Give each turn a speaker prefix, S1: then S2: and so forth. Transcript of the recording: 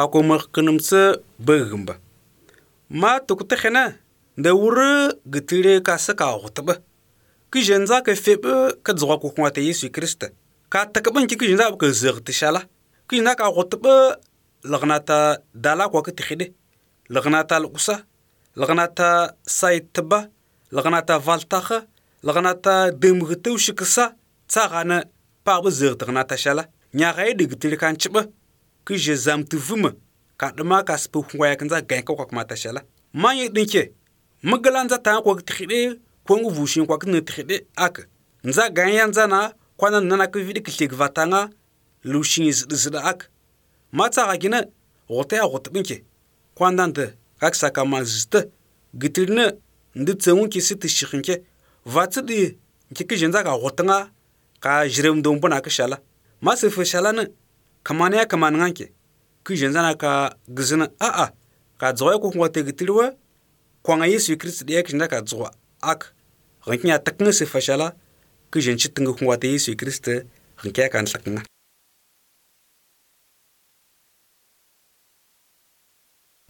S1: Hakumar kanumsa bagamba. Ma tukutahena da wuri gitire ka saka hutba. Kijen za ka febe ka zuwa ko kuma ta Yesu Kirista. Ka takaban ki kijen za ka zirti shala. Kijen za ka hutba lagnata dala ko ka tixide. Lagnata lukusa. Lagnata saitba. Lagnata valtaha. Lagnata demgtu shiksa. Tsagana pa ba zirti gnata shala. Nyaga yi digitire kan chiba. Kije zamtu vuma. Ka dama ka spu kwaya kanza ganka ko kuma ta shala. Manye dinke. Magalanza ta ko tixide. Kwangu vushin kwa kene tixide ak. Nza ganyan zana kwana nana ka vidi kilik vatanga lushin zida ak. Matsa gagina wote a wotbinke. Kwandante kak saka mazista gitirne nditsengun ki sit shikhinke. Vatsidi nke jenza ka wotanga ka jirem dombona ka shala. Masif shala ne kamane kamananke. Ki jenza na ka gizina a ka zoya ko ngote gitirwa kwanga Yesu Kristo de ek ka zoa ak. Rinkiya takne se fashala ki jenchi tinga ngote Yesu Kristo rinkiya kan sakna.